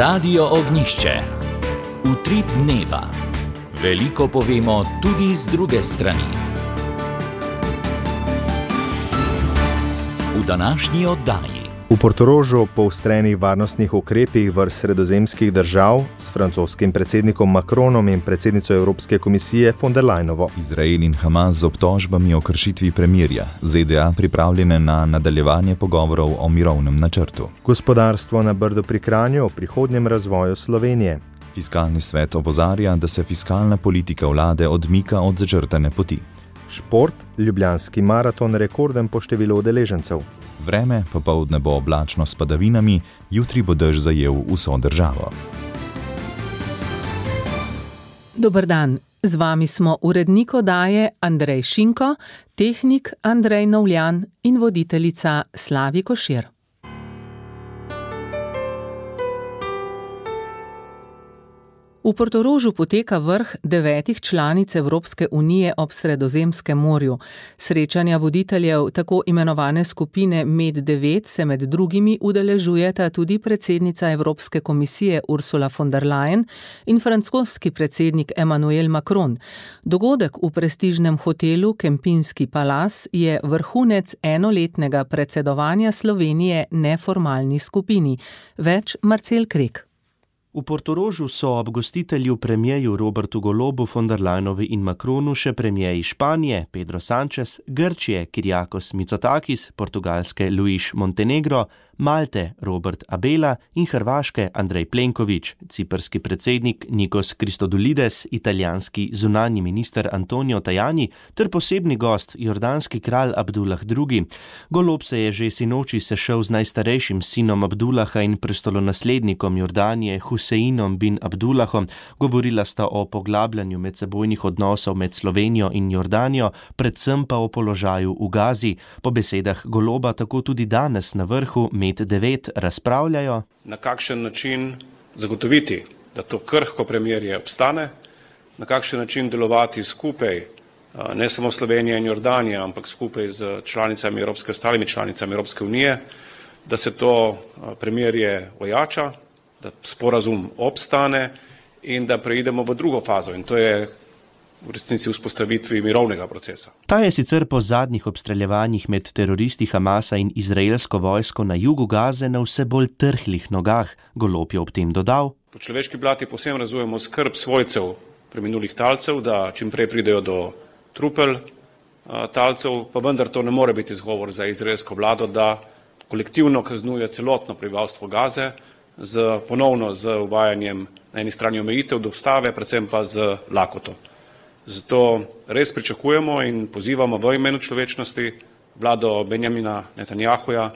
Radio Ognjišče. Utrip dneva. Veliko povemo tudi z druge strani. V današnji oddaji. V Portorožu poostreni varnostnih ukrepih vrst sredozemskih držav s francoskim predsednikom Macronom in predsednico Evropske komisije von der Leyenovo. Izrael in Hamas z obtožbami o kršitvi premirja, ZDA pripravljene na nadaljevanje pogovorov o mirovnem načrtu. Gospodarstvo na Brdu pri Kranju o prihodnjem razvoju Slovenije. Fiskalni svet opozarja, da se fiskalna politika vlade odmika od začrtane poti. Šport, ljubljanski maraton rekorden po številu udeležencev. Vreme popoldne bo oblačno s padavinami, jutri bo dež zajel vso državo. Dober dan, z vami smo urednik oddaje Andrej Šinko, tehnik Andrej Novljan in voditeljica Slavi Košir. V Portorožu poteka vrh 9 članic Evropske unije ob Sredozemskem morju. Srečanja voditeljev tako imenovane skupine Med9 se med drugimi udeležujeta tudi predsednica Evropske komisije Ursula von der Leyen in francoski predsednik Emmanuel Macron. Dogodek v prestižnem hotelu Kempinski Palace je vrhunec enoletnega predsedovanja Slovenije neformalni skupini. Več Marcel Krek. V Portorožu so ob gostitelju premierju Robertu Golobu, von der Leyenovi in Macronu še premierji Španije, Pedro Sánchez, Grčije, Kyriakos Mitsotakis, Portugalske Luis Montenegro, Malte Robert Abela in Hrvaške Andrej Plenković, ciprski predsednik Nikos Christodoulides, italijanski zunanji minister Antonio Tajani ter posebni gost, jordanski kralj Abdullah II. Golob se je že sinoči sešel z najstarejšim sinom Abdullaha in prestolonaslednikom Jordanije Huseinom bin Abdullahom. Govorila sta o poglabljanju medsebojnih odnosov med Slovenijo in Jordanijo, predvsem pa o položaju v Gazi. Po besedah Goloba tako tudi danes na vrhu Med9 razpravljajo, na kakšen način zagotoviti, da to krhko premirje obstane, na kakšen način delovati skupaj, ne samo Slovenija in Jordanija, ampak skupaj z članicami ostalimi članicami Evropske unije, da se to premirje ojača, da sporazum obstane in da preidemo v drugo fazo, in to je v resnici vzpostavitvi mirovnega procesa. Ta je sicer po zadnjih obstreljevanjih med teroristi Hamasa in izraelsko vojsko na jugu Gaze na vse bolj trhlih nogah. Golob je ob tem dodal: Po človeški plati povsem razumemo skrb svojcev preminulih talcev, da čim prej pridejo do trupel talcev, pa vendar to ne more biti izgovor za izraelsko vlado, da kolektivno kaznuje celotno prebivalstvo Gaze ponovno z uvajanjem na eni strani omejitev dostave, predvsem pa z lakoto. Zato res pričakujemo in pozivamo v imenu človečnosti vlado Benjamina Netanjahuja,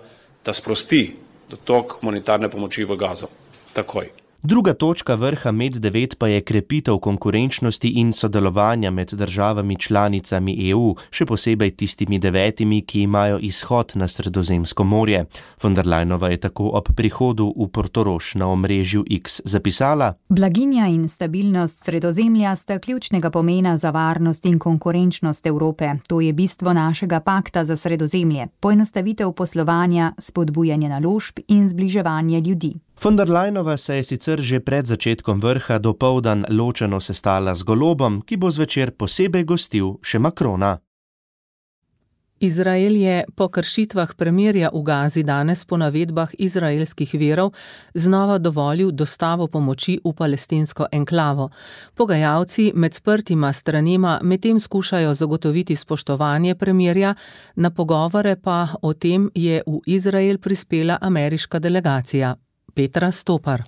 da sprosti dotok humanitarne pomoči v Gazo. Takoj. Druga točka vrha Med9 pa je krepitev konkurenčnosti in sodelovanja med državami članicami EU, še posebej tistimi 9, ki imajo izhod na Sredozemsko morje. Von der Leyenova je tako ob prihodu v Portorož na omrežju X zapisala: Blaginja in stabilnost Sredozemlja sta ključnega pomena za varnost in konkurenčnost Evrope. To je bistvo našega pakta za Sredozemlje. Poenostavitev poslovanja, spodbujanje naložb in zbliževanje ljudi. Von der Leyenova se je sicer že pred začetkom vrha dopoldan ločeno sestala z Golobom, ki bo zvečer posebej gostil še Macrona. Izrael je po kršitvah premirja v Gazi danes po navedbah izraelskih virov znova dovolil dostavo pomoči v palestinsko enklavo. Pogajalci med sprtima stranema medtem skušajo zagotoviti spoštovanje premirja, na pogovore pa o tem je v Izrael prispela ameriška delegacija. Petra Stopar.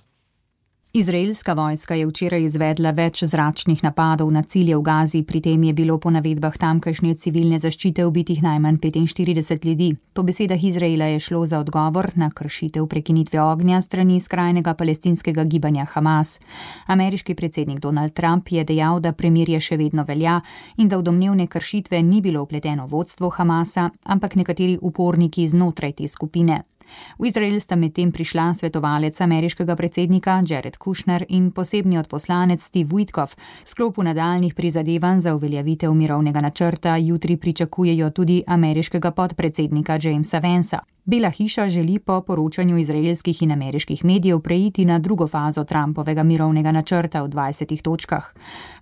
Izraelska vojska je včeraj izvedla več zračnih napadov na cilje v Gazi, pri tem je bilo po navedbah tamkajšnje civilne zaščite ubitih najmanj 45 ljudi. Po besedah Izraela je šlo za odgovor na kršitev prekinitve ognja strani skrajnega palestinskega gibanja Hamas. Ameriški predsednik Donald Trump je dejal, da premirje še vedno velja in da v domnevne kršitve ni bilo vpleteno vodstvo Hamasa, ampak nekateri uporniki znotraj te skupine. V Izrael sta medtem prišla svetovalec ameriškega predsednika Jared Kushner in posebni odposlanec Steve Witkoff. V sklopu nadaljnjih prizadevanj za uveljavitev mirovnega načrta jutri pričakujejo tudi ameriškega podpredsednika Jamesa Vancea. Bela hiša želi po poročanju izraelskih in ameriških medijev preiti na drugo fazo Trumpovega mirovnega načrta v 20 točkah.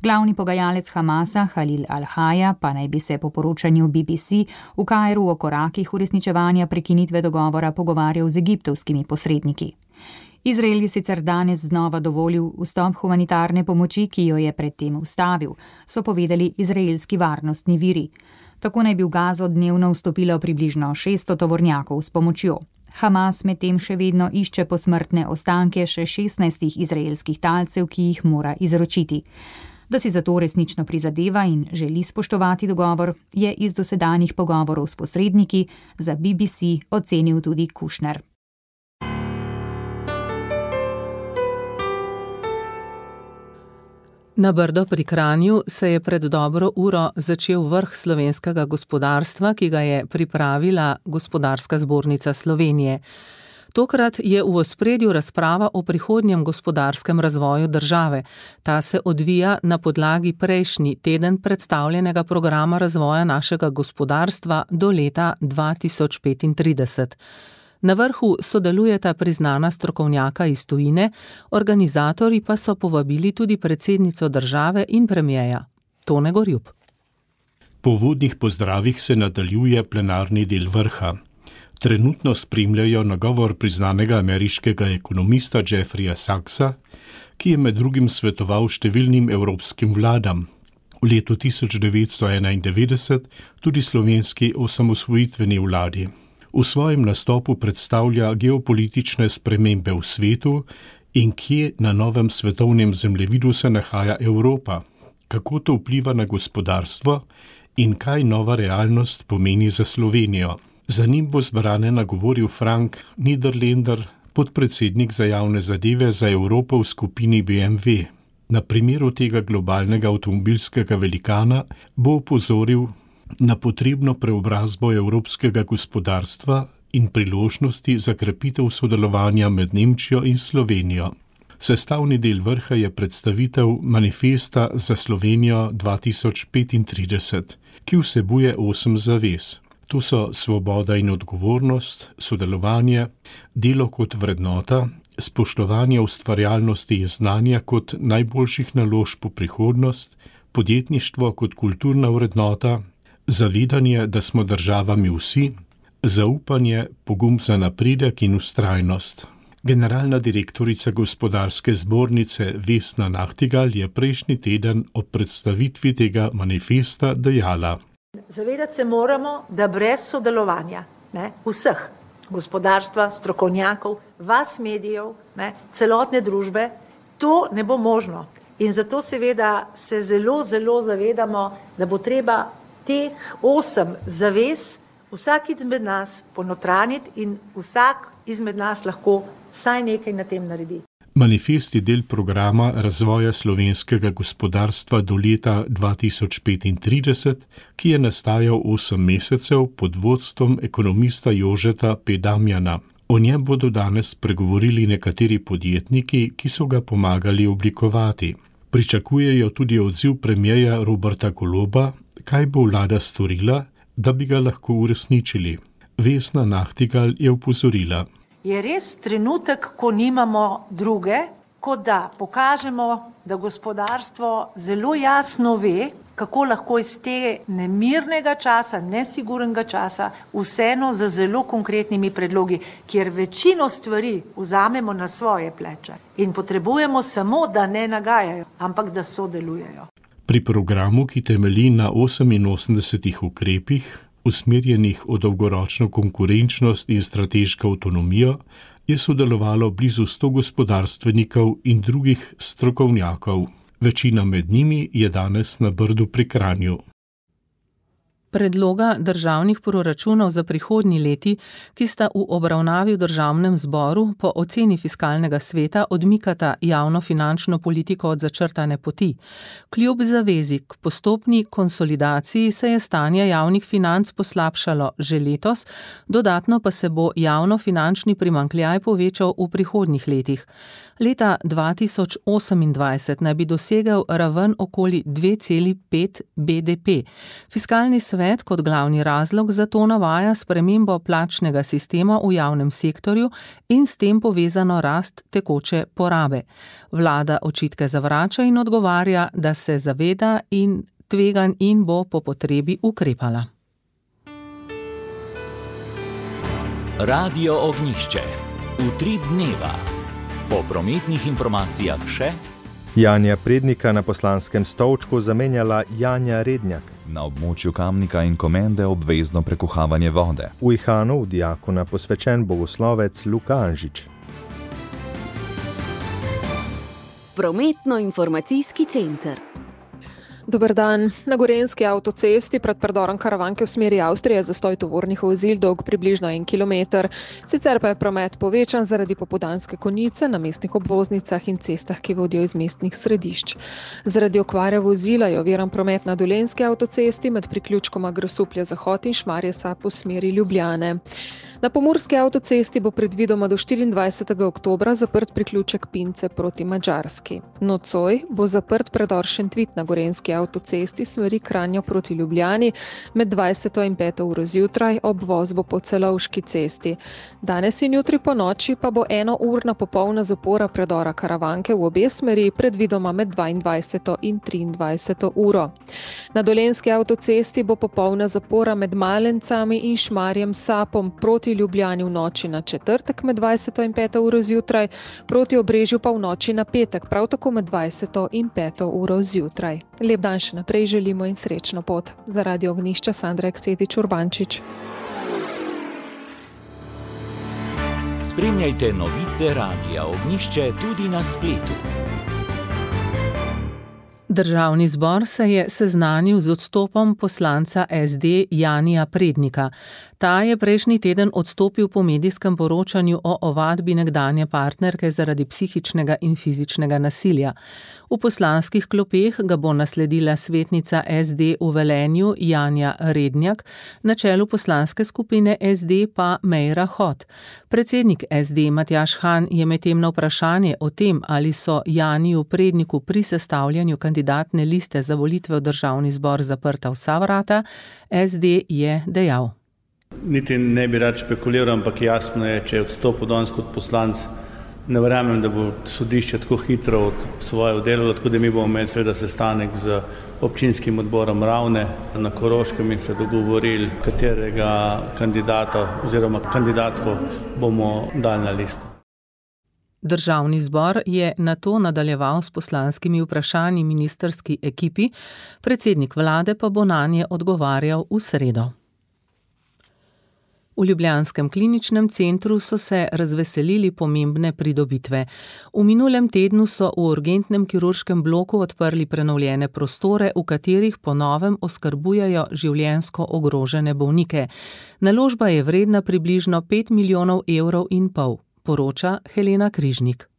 Glavni pogajalec Hamasa, Halil al-Haja, pa naj bi se po poročanju BBC v Kairu o korakih uresničevanja prekinitve dogovora pogovarjal z egiptovskimi posredniki. Izrael je sicer danes znova dovolil vstop humanitarne pomoči, ki jo je predtem ustavil, so povedali izraelski varnostni viri. Tako naj bi v Gazo dnevno vstopilo približno 600 tovornjakov s pomočjo. Hamas medtem še vedno išče posmrtne ostanke še 16 izraelskih talcev, ki jih mora izročiti. Da si zato resnično prizadeva in želi spoštovati dogovor, je iz dosedanjih pogovorov s posredniki za BBC ocenil tudi Kushner. Na Brdo pri Kranju se je pred dobro uro začel vrh slovenskega gospodarstva, ki ga je pripravila Gospodarska zbornica Slovenije. Tokrat je v ospredju razprava o prihodnjem gospodarskem razvoju države. Ta se odvija na podlagi prejšnji teden predstavljenega programa razvoja našega gospodarstva do leta 2035. Na vrhu sodelujeta priznana strokovnjaka iz tujine, organizatorji pa so povabili tudi predsednico države in premierja Tone Gorjup. Po uvodnih pozdravih se nadaljuje plenarni del vrha. Trenutno spremljajo nagovor priznanega ameriškega ekonomista Jeffreyja Sachsa, ki je med drugim svetoval številnim evropskim vladam. V letu 1991 tudi slovenski osamosvojitveni vladi. V svojem nastopu predstavlja geopolitične spremembe v svetu in kje na novem svetovnem zemljevidu se nahaja Evropa, kako to vpliva na gospodarstvo in kaj nova realnost pomeni za Slovenijo. Za njim bo zbrane nagovoril Frank Niederländer, podpredsednik za javne zadeve za Evropo v skupini BMW. Na primeru tega globalnega avtomobilskega velikana bo opozoril na potrebno preobrazbo evropskega gospodarstva in priložnosti za krepitev sodelovanja med Nemčijo in Slovenijo. Sestavni del vrha je predstavitev manifesta za Slovenijo 2035, ki vsebuje 8 zavez. Tu so svoboda in odgovornost, sodelovanje, delo kot vrednota, spoštovanje ustvarjalnosti in znanja kot najboljših naložb v prihodnost, podjetništvo kot kulturna vrednota, zavedanje, da smo državami vsi, zaupanje, pogum za napredek in vztrajnost. Generalna direktorica Gospodarske zbornice Vesna Nachtigal je prejšnji teden ob predstavitvi tega manifesta dejala: Zavedati se moramo, da brez sodelovanja vseh, gospodarstva, strokovnjakov, vas medijev, celotne družbe, to ne bo možno. In zato seveda se zelo zavedamo, da bo treba teh 8 zavez vsak izmed nas ponotraniti in vsak izmed nas lahko vsaj nekaj na tem naredi. Manifest je del programa razvoja slovenskega gospodarstva do leta 2035, ki je nastajal 8 mesecev pod vodstvom ekonomista Jožeta P. Damjana. O njem bodo danes pregovorili nekateri podjetniki, ki so ga pomagali oblikovati. Pričakujejo tudi odziv premierja Roberta Goloba, kaj bo vlada storila, da bi ga lahko uresničili. Vesna Nachtigal je opozorila: Je res trenutek, ko nimamo druge, kot da pokažemo, da gospodarstvo zelo jasno ve, kako lahko iz tega nemirnega časa, nesigurnega časa, vseeno z zelo konkretnimi predlogi, kjer večino stvari vzamemo na svoje pleče in potrebujemo samo, da ne nagajajo, ampak da sodelujejo. Pri programu, ki temelji na 88 ukrepih, usmerjenih v dolgoročno konkurenčnost in strateško avtonomijo, je sodelovalo blizu 100 gospodarstvenikov in drugih strokovnjakov. Večina med njimi je danes na Brdu pri Kranju. Predloga državnih proračunov za prihodnji leti, ki sta v obravnavi v državnem zboru, po oceni fiskalnega sveta odmikata javnofinančno politiko od začrtane poti. Kljub zavezi k postopni konsolidaciji se je stanje javnih financ poslabšalo že letos, dodatno pa se bo javnofinančni primanjkljaj povečal v prihodnjih letih. Leta 2028 naj bi dosegel raven okoli 2,5 BDP. Fiskalni svet svet kot glavni razlog za to navaja spremembo plačnega sistema v javnem sektorju in s tem povezano rast tekoče porabe. Vlada očitke zavrača in odgovarja, da se zaveda in tveganj in bo po potrebi ukrepala. Radio Ognjišče. Utrip dneva. Po prometnih informacijah še Janja Prednika na poslanskem stolčku zamenjala Janja Rednjak. Na območju Kamnika in Komende obvezno prekuhavanje vode. V Ihanu v diakona posvečen bogoslovec Luka Anžič. Prometno-informacijski center. Dober dan. Na Gorenjski avtocesti pred predorom Karavanke v smeri Avstrije zastoj tovornih vozil dolg približno 1 kilometer. Sicer pa je promet povečan zaradi popoldanske konice na mestnih obvoznicah in cestah, ki vodijo iz mestnih središč. Zaradi okvare vozila je oviran promet na Dolenjski avtocesti med priključkoma Grosuplje-Zahod in Šmarje-Sap v smeri Ljubljane. Na Pomurski avtocesti bo predvidoma do 24. oktobra zaprt priključek Pince proti Madžarski. Nocoj bo zaprt predor Šentvit na Gorenjski avtocesti smeri Kranjo proti Ljubljani med 20. in 5. uro zjutraj, obvoz bo po Celovški cesti. Danes in jutri po noči pa bo 1-urna popolna zapora predora Karavanke v obe smeri predvidoma med 22. in 23. uro. Na Dolenjski avtocesti bo popolna zapora med Malencami in Šmarjem Sapom proti Ljubljani v noči na četrtek med 20. in 5. uro zjutraj, proti Obrežju pa v noči na petek, prav tako med 20. in 5. uro zjutraj. Lep dan še naprej želimo in srečno pot. Za Radio Ognjišče Sandra Eksetič Urbančič. Spremljajte novice Radia Ognjišče tudi na spletu. Državni zbor se je seznanil z odstopom poslanca SD Janija Prednika. Ta je prejšnji teden odstopil po medijskem poročanju o ovadbi nekdanje partnerke zaradi psihičnega in fizičnega nasilja. V poslanskih klopeh ga bo nasledila svetnica SD v Velenju Janja Rednjak, na čelu poslanske skupine SD pa Meira Hot. Predsednik SD Matjaž Han je medtem na vprašanje o tem, ali so Janiju Predniku pri sestavljanju kandidatne liste za volitve v državni zbor zaprta vsa vrata, SD je dejal. Niti ne bi rad špekuliral, ampak jasno je, če je odstopil danes kot poslanec, ne verjamem, da bo sodišče tako hitro od svoje oddelalo, tako da mi bomo imeli seveda sestanek z občinskim odborom Ravne na Koroškem in se dogovorili, katerega kandidata oziroma kandidatko bomo dali na listo. Državni zbor je nato nadaljeval s poslanskimi vprašanji ministrski ekipi, predsednik vlade pa bo nanje odgovarjal v sredo. V ljubljanskem kliničnem centru so se razveselili pomembne pridobitve. V minulem tednu so v urgentnem kirurškem bloku odprli prenovljene prostore, v katerih po novem oskrbujejo življenjsko ogrožene bolnike. Naložba je vredna približno 5,5 milijona evrov, poroča Helena Križnik.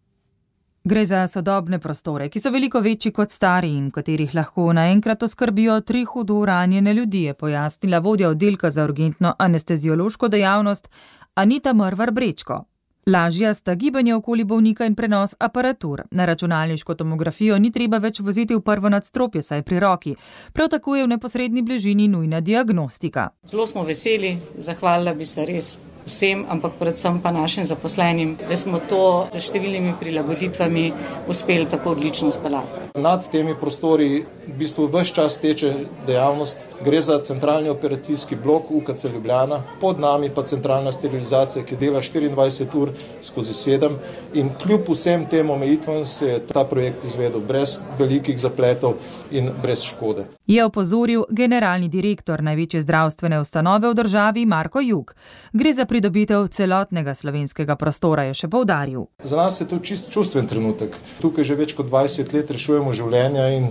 Gre za sodobne prostore, ki so veliko večji kot stari in v katerih lahko naenkrat oskrbijo 3 hudo ranjene ljudi, je pojasnila vodja oddelka za urgentno anesteziološko dejavnost Anita Mrvar Brečko. Lažja sta gibanje okoli bolnika in prenos aparatur. Na računalniško tomografijo ni treba več voziti v prvo nadstropje, saj pri roki. Prav tako je v neposredni bližini nujna diagnostika. Zelo smo veseli, zahvalila bi se res vsem, ampak predvsem pa našim zaposlenim, da smo to z številnimi prilagoditvami uspeli tako odlično speljati. Nad temi prostori v bistvu ves čas teče dejavnost. Gre za centralni operacijski blok UKC Ljubljana, pod nami pa centralna sterilizacija, ki dela 24 ur skozi 7 in kljub vsem tem omejitvam se je ta projekt izvedel brez velikih zapletov in brez škode. Je opozoril generalni direktor največje zdravstvene ustanove v državi Marko Jug. Gre za pridobitev celotnega slovenskega prostora, je še poudaril. Za nas je to čist čustven trenutek. Tukaj že več kot 20 let rešujemo življenja in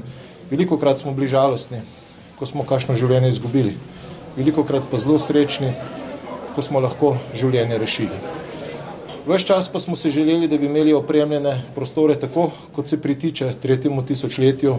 velikokrat smo bili žalostni, ko smo kakšno življenje izgubili. Velikokrat pa zelo srečni, ko smo lahko življenje rešili. Ves čas pa smo si želeli, da bi imeli opremljene prostore tako, kot se pritiče 3. tisočletju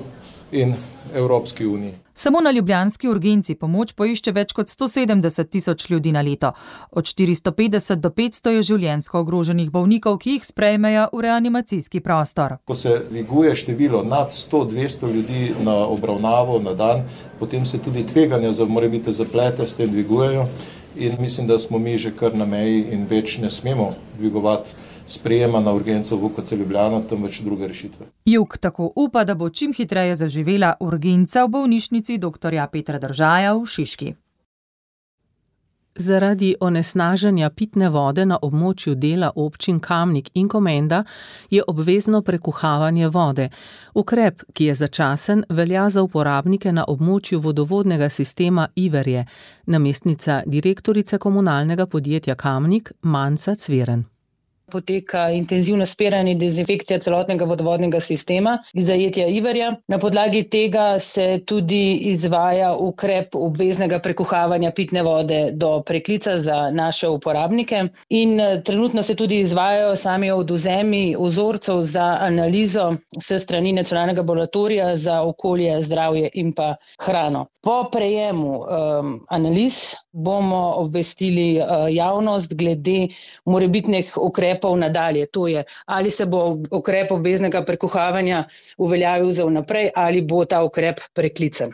in Evropski uniji. Samo na ljubljanski urgenci pomoč poišče več kot 170 tisoč ljudi na leto. Od 450 do 500 je življenjsko ogroženih bolnikov, ki jih sprejmejo v reanimacijski prostor. Ko se dviguje število nad 100-200 ljudi na obravnavo na dan, potem se tudi tveganja za morebitne zaplete s tem dvigujejo in mislim, da smo mi že kar na meji in več ne smemo dvigovati sprejema na urgenco v UKC Ljubljana, temveč druge rešitve. Jug tako upa, da bo čim hitreje zaživela urgenca v bolnišnici dr. Petra Držaja v Šiški. Zaradi onesnaženja pitne vode na območju dela občin Kamnik in Komenda je obvezno prekuhavanje vode. Ukrep, ki je začasen, velja za uporabnike na območju vodovodnega sistema Iverje, namestnica direktorice komunalnega podjetja Kamnik Manca Cveren. Poteka intenzivno spiranje in dezinfekcija celotnega vodovodnega sistema iz zajetja Iverja. Na podlagi tega se tudi izvaja ukrep obveznega prekuhavanja pitne vode do preklica za naše uporabnike in trenutno se tudi izvajajo sami odvzemi vzorcev za analizo s strani Nacionalnega laboratorija za okolje, zdravje in pa hrano. Po prejemu analiz bomo obvestili javnost glede morebitnih ukrepov nadalje. To je, ali se bo ukrep obveznega prekuhavanja uveljavil za vnaprej ali bo ta ukrep preklican.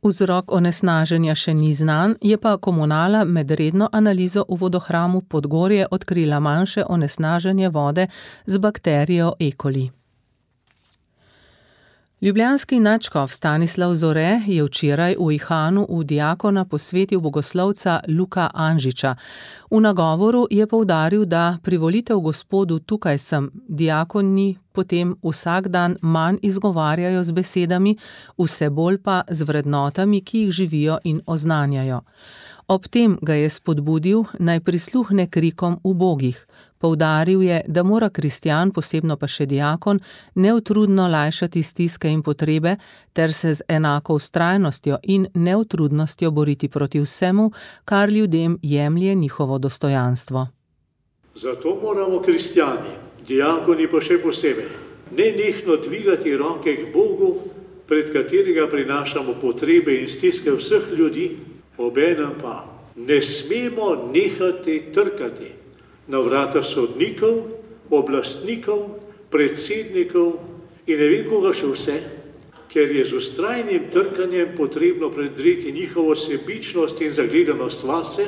Vzrok onesnaženja še ni znan, je pa komunala med redno analizo v vodohramu Podgorje odkrila manjše onesnaženje vode z bakterijo E. coli. Ljubljanski nadškof Stanislav Zore je včeraj v Ihanu v diakona posvetil bogoslovca Luka Anžiča. V nagovoru je poudaril, da privolitev Gospodu tukaj sem, diakoni potem vsak dan manj izgovarjajo z besedami, vse bolj pa z vrednotami, ki jih živijo in oznanjajo. Ob tem ga je spodbudil, naj prisluhne krikom ubogih. Poudaril je, da mora kristjan, posebno pa še diakon, neutrudno lajšati stiske in potrebe ter se z enako vztrajnostjo in neutrudnostjo boriti proti vsemu, kar ljudem jemlje njihovo dostojanstvo. Zato moramo kristjani, diakoni pa še posebej, nenehno dvigati roke k Bogu, pred katerega prinašamo potrebe in stiske vseh ljudi, obenem pa ne smemo nehati trkati na vrata sodnikov, oblastnikov, predsednikov in ne vem koga še vse, ker je z vztrajnim trkanjem potrebno predreti njihovo sebičnost in zagledanost vase,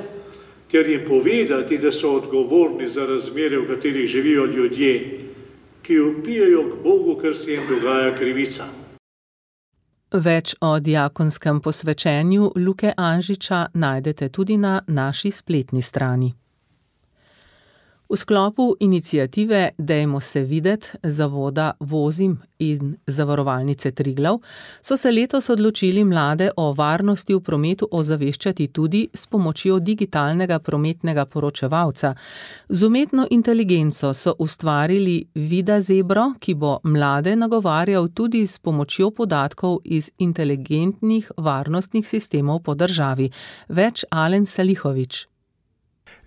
ter jim povedati, da so odgovorni za razmere, v katerih živijo ljudje, ki vpijejo k Bogu, ker se jim dogaja krivica. Več o diakonskem posvečenju Luke Anžiča najdete tudi na naši spletni strani. V sklopu iniciative Dajmo se videt zavoda Vozim in Zavarovalnice Triglav so se letos odločili mlade o varnosti v prometu ozaveščati tudi s pomočjo digitalnega prometnega poročevalca. Z umetno inteligenco so ustvarili Vida Zebro, ki bo mlade nagovarjal tudi s pomočjo podatkov iz inteligentnih varnostnih sistemov po državi. Več Alen Salihovič.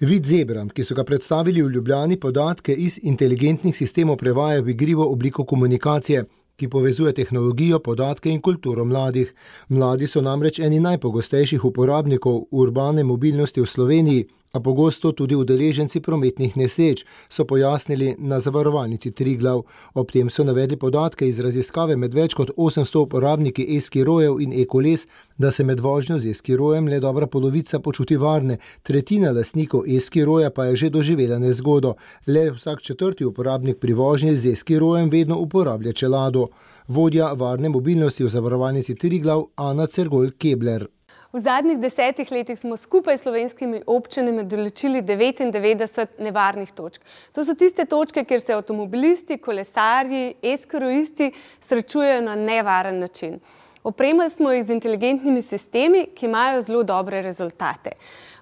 Vid Zebra, ki so ga predstavili v Ljubljani, podatke iz inteligentnih sistemov prevaja v igrivo obliko komunikacije, ki povezuje tehnologijo, podatke in kulturo mladih. Mladi so namreč eni najpogostejših uporabnikov urbane mobilnosti v Sloveniji, a pogosto tudi udeleženci prometnih nesreč, so pojasnili na Zavarovalnici Triglav. Ob tem so navedli podatke iz raziskave med več kot 800 uporabniki e-skirojev in e-koles, da se med vožnjo z e-skirojem le dobra polovica počuti varne, tretjina lastnikov e-skiroja pa je že doživela nezgodo. Le vsak četrti uporabnik pri vožnji z e-skirojem vedno uporablja čelado. Vodja varne mobilnosti v Zavarovalnici Triglav Ana Cergol-Kebler. V zadnjih 10 letih smo skupaj s slovenskimi občinami določili 99 nevarnih točk. To so tiste točke, kjer se avtomobilisti, kolesarji, e-skirojisti srečujejo na nevaren način. Opremili smo jih z inteligentnimi sistemi, ki imajo zelo dobre rezultate.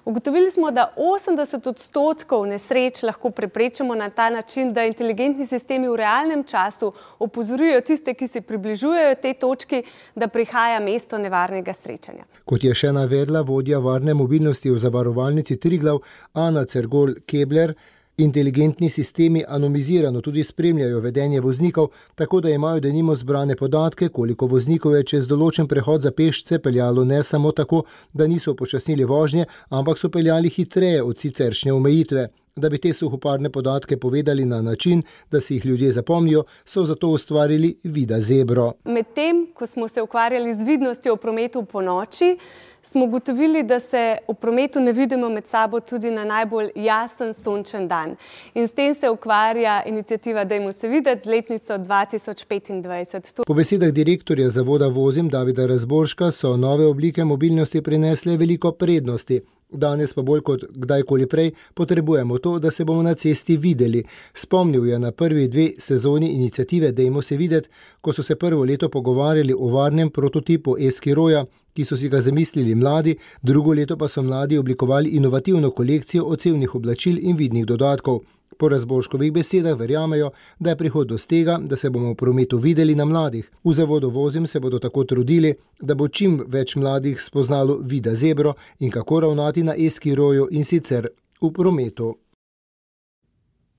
Ugotovili smo, da 80% nesreč lahko preprečimo na ta način, da inteligentni sistemi v realnem času opozorijo tiste, ki se približujejo tej točki, da prihaja mesto nevarnega srečanja. Kot je še navedla vodja varne mobilnosti v Zavarovalnici Triglav Ana Cergol-Kebler, Inteligentni sistemi anonimizirano tudi spremljajo vedenje voznikov, tako da imajo denimo zbrane podatke, koliko voznikov je čez določen prehod za pešce peljalo ne samo tako, da niso upočasnili vožnje, ampak so peljali hitreje od siceršnje omejitve. Da bi te suhoparne podatke povedali na način, da si jih ljudje zapomnijo, so zato ustvarili Vida Zebro. Medtem, ko smo se ukvarjali z vidnostjo v prometu po noči, smo ugotovili, da se v prometu ne vidimo med sabo tudi na najbolj jasen sončen dan. In s tem se ukvarja iniciativa Dajmo se videti z letnico 2025. Po besedah direktorja zavoda Vozim Davida Razborška so nove oblike mobilnosti prinesle veliko prednosti. Danes pa bolj kot kdajkoli prej potrebujemo to, da se bomo na cesti videli. Spomnil je na prvi 2 sezoni iniciative Dajmo se videti, ko so se prvo leto pogovarjali o varnem prototipu Eskiroja, ki so si ga zamislili mladi, drugo leto pa so mladi oblikovali inovativno kolekcijo odsevnih oblačil in vidnih dodatkov. Po Razborškovih besedah verjamejo, da je prihodnost tega, da se bomo v prometu videli na mladih. V zavodu Vozim se bodo tako trudili, da bo čim več mladih spoznalo Vida Zebro in kako ravnati na Eskiroju in sicer v prometu.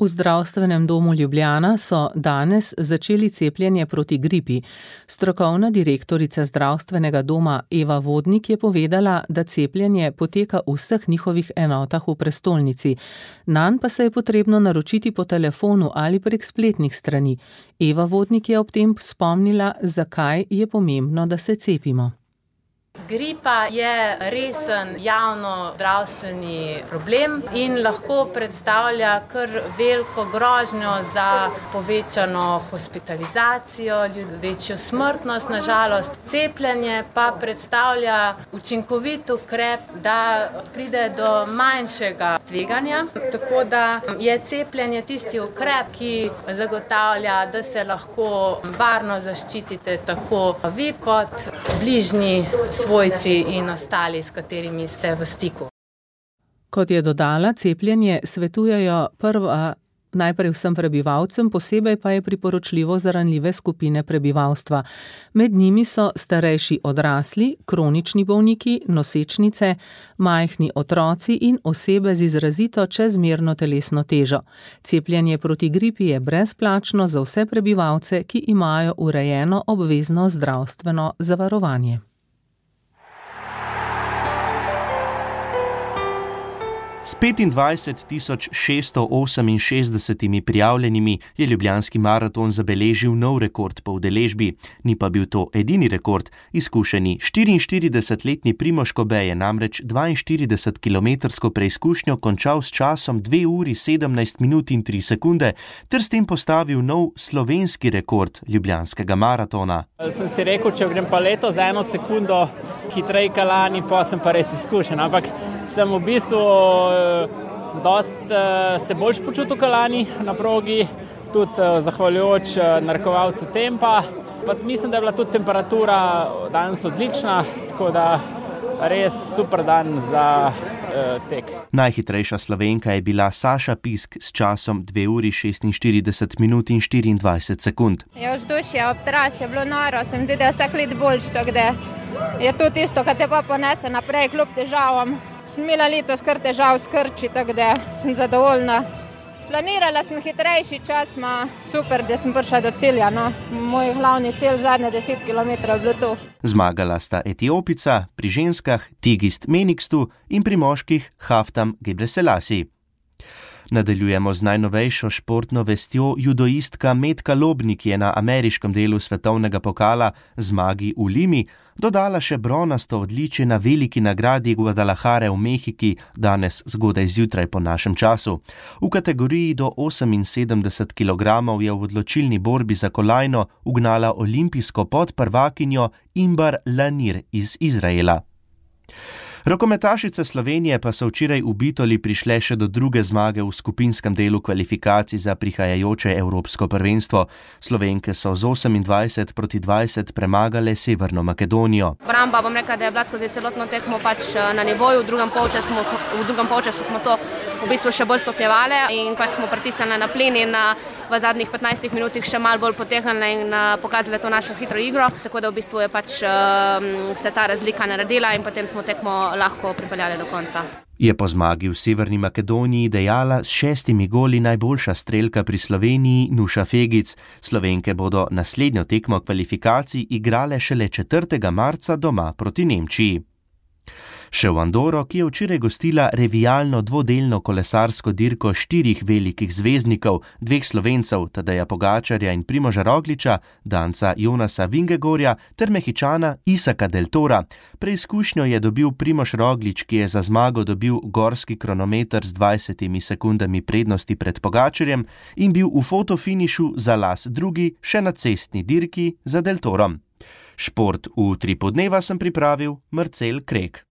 V zdravstvenem domu Ljubljana so danes začeli cepljenje proti gripi. Strokovna direktorica zdravstvenega doma Eva Vodnik je povedala, da cepljenje poteka v vseh njihovih enotah v prestolnici. Nanj pa se je potrebno naročiti po telefonu ali prek spletnih strani. Eva Vodnik je ob tem spomnila, zakaj je pomembno, da se cepimo. Gripa je resen javno zdravstveni problem in lahko predstavlja kar veliko grožnjo za povečano hospitalizacijo, večjo smrtnost, na žalost. Cepljenje pa predstavlja učinkovit ukrep, da pride do manjšega tveganja, tako da je cepljenje tisti ukrep, ki zagotavlja, da se lahko varno zaščitite tako vi kot bližnji svojci in ostali, s katerimi ste v stiku. Kot je dodala, cepljenje svetujejo najprej vsem prebivalcem, posebej pa je priporočljivo za ranljive skupine prebivalstva. Med njimi so starejši odrasli, kronični bolniki, nosečnice, majhni otroci in osebe z izrazito čezmerno telesno težo. Cepljenje proti gripi je brezplačno za vse prebivalce, ki imajo urejeno obvezno zdravstveno zavarovanje. S 25.668 prijavljenimi je ljubljanski maraton zabeležil nov rekord po udeležbi. Ni pa bil to edini rekord. Izkušeni 44-letni Primož Kobe je namreč 42-kilometrsko preizkušnjo končal s časom 2 uri 17 minut in 3 sekunde ter s tem postavil nov slovenski rekord ljubljanskega maratona. Sem si rekel, če grem pa leto za 1 sekundo hitreje kot lani, pa sem pa res izkušen, ampak sem v bistvu se bolj počutil kot lani na progi, tudi zahvaljujoč narekovalcu tempa. Pa mislim, da je bila tudi temperatura danes odlična, tako da res super dan za tek. Najhitrejša Slovenka je bila Saša Pisk s časom 2 uri 46 minut in 24 sekund. Vzdušje ob trasi je bilo noro, sem tudi vsak let boljš, tako da je to tisto, kar te pa ponese naprej kljub težavam. Sem imela letos kar težav s krči, tako da sem zadovoljna. Planirala sem hitrejši čas, super, da sem prišla do cilja. Moj glavni cilj zadnje 10 km je bilo to. Zmagala sta Etiopica, pri ženskah Tigist Menikstu in pri moških Haftam Gebreselassie. Nadaljujemo z najnovejšo športno vestjo. Judoistka Metka Lobnik je na ameriškem delu svetovnega pokala zmagi v Limi dodala še bronasto odličje na veliki nagradi Guadalajare v Mehiki danes zgodaj zjutraj po našem času. V kategoriji do 78 kg je v odločilni borbi za kolajno ugnala olimpijsko podprvakinjo Imbar Lanir iz Izraela. Rokometašice Slovenije pa so včeraj v Bitoli prišle še do druge zmage v skupinskem delu kvalifikacij za prihajajoče evropsko prvenstvo. Slovenke so z 28-20 premagale Severno Makedonijo. Obramba, bom rekla, da je bila skozi celotno tekmo na nivoju, v drugem polčasu smo to v bistvu še bolj stopnjevale in smo pritisnili na plin in v zadnjih 15 minutih še malo bolj potegnile in pokazale to našo hitro igro, tako da v bistvu je se ta razlika naredila in potem smo tekmo lahko pripeljali do konca. Je po zmagi v Severni Makedoniji dejala s 6 goli najboljša strelka pri Sloveniji Nuša Fegic. Slovenke bodo naslednjo tekmo kvalifikacij igrale šele 4. marca doma proti Nemčiji. Še v Andoro, ki je včeraj gostila revijalno dvodelno kolesarsko dirko 4 velikih zvezdnikov, 2 Slovencev, Tadeja Pogačarja in Primoža Rogliča, danca Jonasa Vingegorja ter Mehičana Isaka Del Tora. Preizkušnjo je dobil Primož Roglič, ki je za zmago dobil gorski kronometer z 20 sekundami prednosti pred Pogačarjem in bil v fotofinišu za las drugi še na cestni dirki za Del Torom. Šport v Utripu dneva sem pripravil Marcel Krek.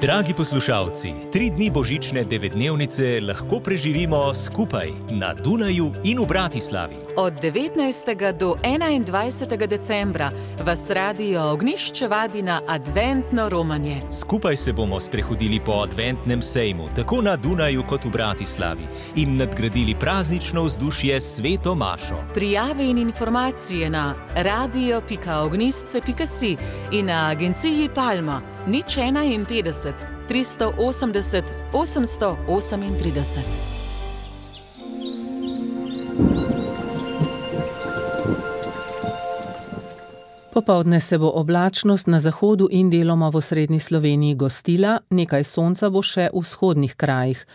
Dragi poslušalci, 3 dni božične 9-dnevnice lahko preživimo skupaj na Dunaju in v Bratislavi. Od 19. do 21. decembra vas Radio Ognjišče vabi na adventno romanje. Skupaj se bomo sprehodili po adventnem sejmu, tako na Dunaju kot v Bratislavi, in nadgradili praznično vzdušje s Sveto mašo. Prijave in informacije na radio.ognjišče.si in na agenciji Palma 051 380 838. Popoldne se bo oblačnost na zahodu in deloma v osrednji Sloveniji gostila, nekaj sonca bo še v vzhodnih krajih.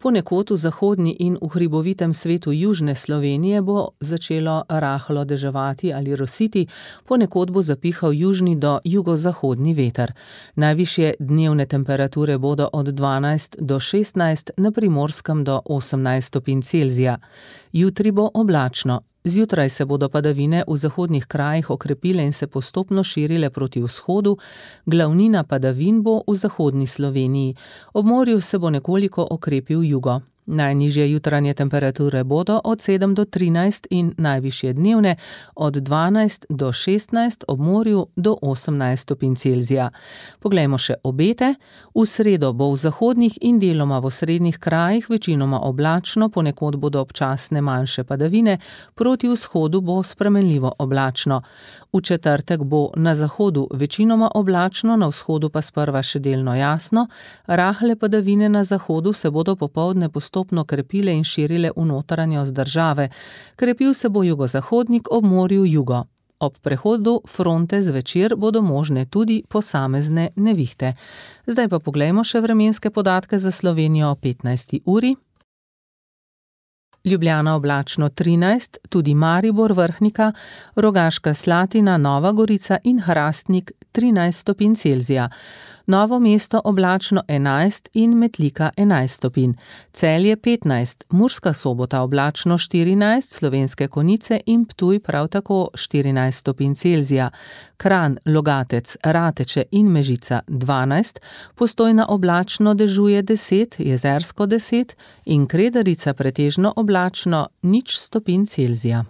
Ponekod v zahodni in v hribovitem svetu južne Slovenije bo začelo rahlo deževati ali rositi, ponekod bo zapihal južni do jugozahodni veter. Najvišje dnevne temperature bodo od 12 do 16, na Primorskem do 18 stopinj Celzija. Jutri bo oblačno. Zjutraj se bodo padavine v zahodnih krajih okrepile in se postopno širile proti vzhodu, glavnina padavin bo v zahodni Sloveniji. Ob morju se bo nekoliko okrepil jugo. Najnižje jutranje temperature bodo od 7 do 13 in najvišje dnevne od 12 do 16, ob morju do 18 stopinj Celzija. Poglejmo še obete. V sredo bo v zahodnih in deloma v osrednjih krajih večinoma oblačno, ponekod bodo občasne manjše padavine, proti vzhodu bo spremenljivo oblačno. V četrtek bo na zahodu večinoma oblačno, na vzhodu pa sprva še delno jasno. Rahle padavine na zahodu se bodo popoldne postopno krepile in širile v notranjost države. Krepil se bo jugozahodnik, ob morju jugo. Ob prehodu fronte zvečer bodo možne tudi posamezne nevihte. Zdaj pa poglejmo še vremenske podatke za Slovenijo o 15. uri. Ljubljana oblačno 13, tudi Maribor, Vrhnika, Rogaška Slatina, Nova Gorica in Hrastnik 13 stopinj Celzija. Novo mesto oblačno 11 in Metlika 11 stopinj. Celje 15, Murska Sobota oblačno 14, Slovenske Konjice in Ptuj prav tako 14 stopinj Celzija. Kranj, Logatec, Rateče in Mežica 12, Postojna oblačno dežuje 10, Jezersko 10 in Kredarica pretežno oblačno 0 stopinj Celzija.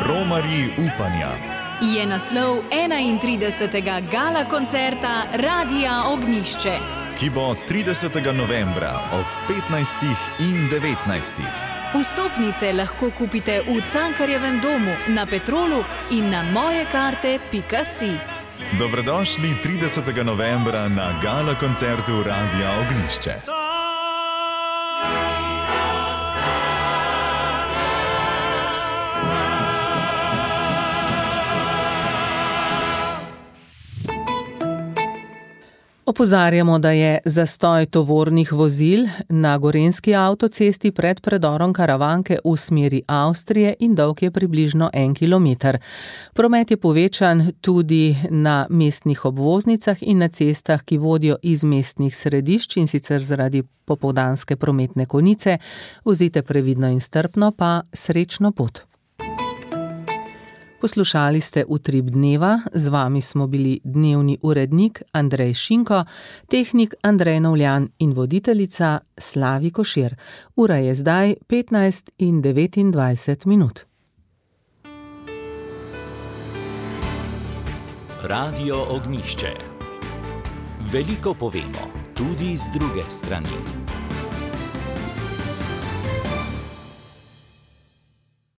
Romarji upanja je naslov 31. gala koncerta Radia Ognjišče, ki bo 30. novembra ob 15. in 19. Vstopnice lahko kupite v Cankarjevem domu, na Petrolu in na mojekarte.si. Dobrodošli 30. novembra na gala koncertu Radia Ognjišče. Opozarjamo, da je zastoj tovornih vozil na gorenjski avtocesti pred predorom Karavanke v smeri Avstrije in dolg je približno 1 kilometer. Promet je povečan tudi na mestnih obvoznicah in na cestah, ki vodijo iz mestnih središč, in sicer zaradi popoldanske prometne konice. Vozite previdno in strpno, pa srečno pot. Poslušali ste Utrip dneva, z vami smo bili dnevni urednik Andrej Šinko, tehnik Andrej Novljan in voditeljica Slavi Košir. Ura je zdaj 15:29 minut. Radio Ognjišče. Veliko povemo, tudi tudi z druge strani.